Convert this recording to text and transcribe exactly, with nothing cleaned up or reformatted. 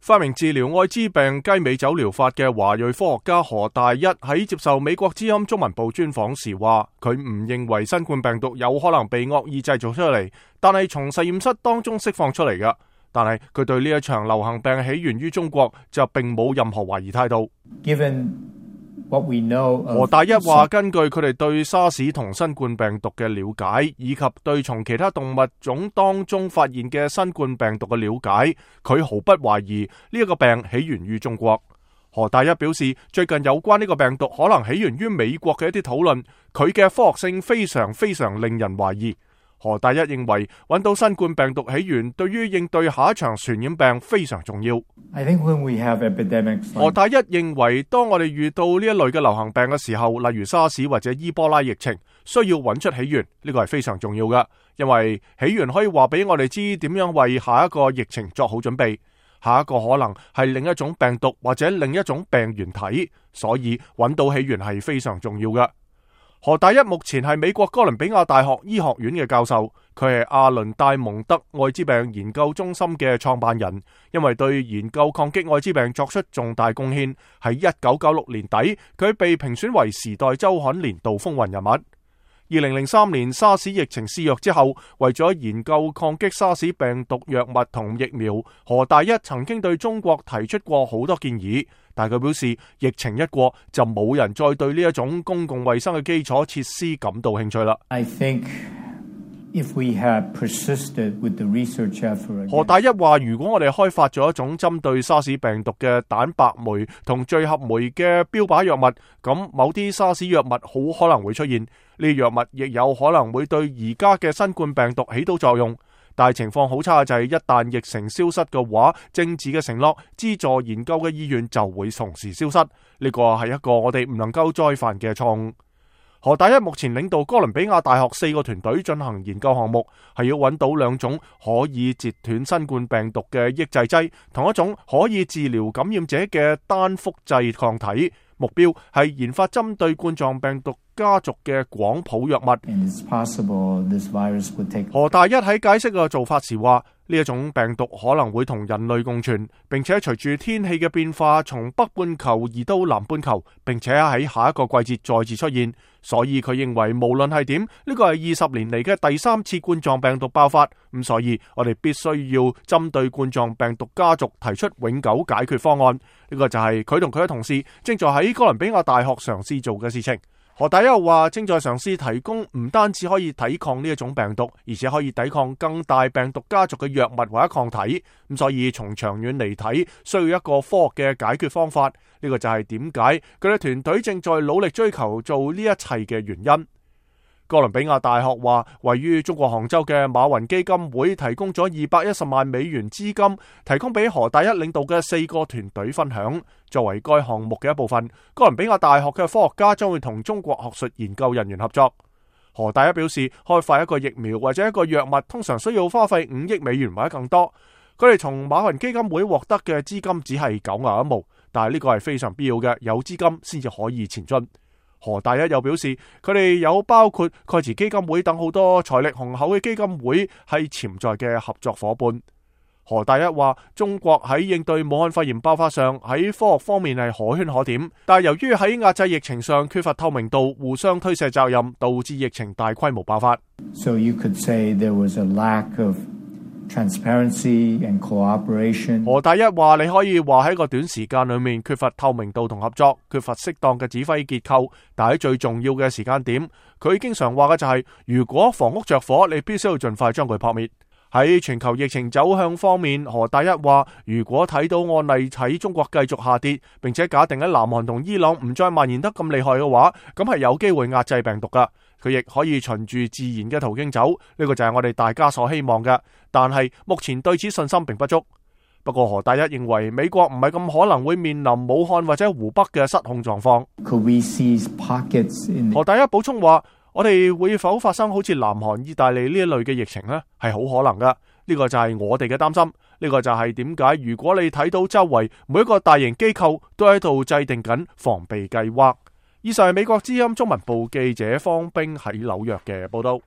發明治療愛滋病雞尾酒療法嘅華裔科學家何大一喺接受美國之音中文部專訪時話，佢唔認為新冠病毒有可能被惡意製造出嚟，但係從實驗室當中釋放出嚟嘅。但係佢對呢一場流行病起源於中國就並冇任何懷疑態度。Given what we know of... 何大一話，根據佢哋對沙士同新冠病毒嘅了解，以及對從其他動物種當中發現嘅新冠病毒嘅了解，佢毫不懷疑呢一個病起源於中國。何大一表示，最近有關呢個病毒可能起源於美國嘅一啲討論，佢嘅科學性非常非常令人懷疑。何大一認為揾到新冠病毒起源對於應對下一場傳染病非常重要。I think when we have epidemics, 何大一認為當我哋遇到呢一類嘅流行病嘅時候，例如沙士或者伊波拉疫情，需要揾出起源，呢個係非常重要嘅，因為起源可以話俾我哋知點樣為下一個疫情作好準備。下一個可能係另一種病毒或者另一種病原體，所以揾到起源係非常重要嘅。何大一目前係美國哥倫比亞大學醫學院嘅教授，佢係阿倫戴蒙德愛滋病研究中心嘅創辦人，因為對研究抗擊愛滋病作出重大貢獻。喺一九九六年底，佢被評選為時代周刊年度風雲人物。二零零三年沙士疫情肆虐之後，為咗研究抗擊沙士病毒藥物同疫苗，何大一曾經對中國提出過好多建議，但佢表示疫情一過就冇人再對呢一種公共衛生嘅基礎設施感到興趣啦。I think if we have persisted with the research effort, 何大一話，如果我哋開發咗一種針對沙士病毒嘅蛋白酶同聚合酶嘅標靶藥物，咁某啲沙士藥物好可能會出現，呢啲藥物亦有可能會對而家嘅新冠病毒起到作用。但係情況好差嘅就係一旦疫情消失嘅話，政治嘅承諾、資助研究嘅意願就會同時消失。呢個係一個我哋唔能夠再犯嘅錯誤。何大一目前領導哥倫比亞大學四個團隊進行研究項目，係要揾到兩種可以截斷新冠病毒嘅抑制劑，同一種可以治療感染者嘅單複製抗體。目標係研發針對冠狀病毒家族嘅廣譜藥物。何大一喺解釋個做法時話，呢一種病毒可能會同人類共存，並且隨住天氣嘅變化從北半球移到南半球，並且喺下一個季節再次出現。所以佢認為無論係點，呢個係二十年嚟嘅第三次冠狀病毒爆發。咁所以我哋必須要針對冠狀病毒家族提出永久解決方案。呢個就係佢同佢嘅同事正在喺哥倫比亞大學嘗試做嘅事情。何大一又話，正在嘗試提供唔單止可以抵抗呢一種病毒，而且可以抵抗更大病毒家族嘅藥物或者抗體。咁所以從長遠嚟睇，需要一個科學嘅解決方法。呢個就係點解佢哋團隊正在努力追求做呢一切嘅原因。哥倫比亞大學話，位於中國杭州嘅馬雲基金會提供咗二百一十萬美元資金，提供俾何大一領導嘅四個團隊分享。作為該項目嘅一部分，哥倫比亞大學嘅科學家將會同中國學術研究人員合作。何大一表示，開發一個疫苗或者一個藥物通常需要花費五億美元或者更多。佢哋從馬雲基金會獲得嘅資金只係九牛一毛，但係呢個係非常必要嘅，有資金先至可以前進。何大一又表示，佢哋有包括蓋茨基金會等好多財力雄厚嘅基金會係潛在嘅合作夥伴。何大一話，中國喺應對武漢肺炎爆發上喺科學方面係可圈可點，但係由於喺壓制疫情上缺乏透明度，互相推卸責任，導致疫情大規模爆發。So you could say there was a lack of transparency and cooperation. 何大一話，你可以話喺個短時間裏面缺乏透明度同合作，缺乏適當嘅指揮結構，但喺最重要嘅時間點，佢經常話嘅就係、是，如果房屋着火，你必須要盡快將佢撲滅。喺全球疫情走向方面，何大一話，如果睇到案例喺中國繼續下跌，並且假定喺南韓同伊朗唔再蔓延得咁厲害嘅話，咁係有機會壓制病毒噶。佢亦可以循住自然嘅途徑走，呢個就係我哋大家所希望嘅。但係目前對此信心並不足。不過何大一認為美國唔係咁可能會面臨武漢或者湖北嘅失控狀況。Could we see pockets in... 何大一補充話，我哋會否發生好似南韓、意大利呢一類嘅疫情呢？係好可能噶。呢個就係我哋嘅擔心。呢個就係點解如果你睇到周圍每一個大型機構都喺度制定緊防備計劃。以上係美國之音中文部記者方冰喺紐約嘅報道。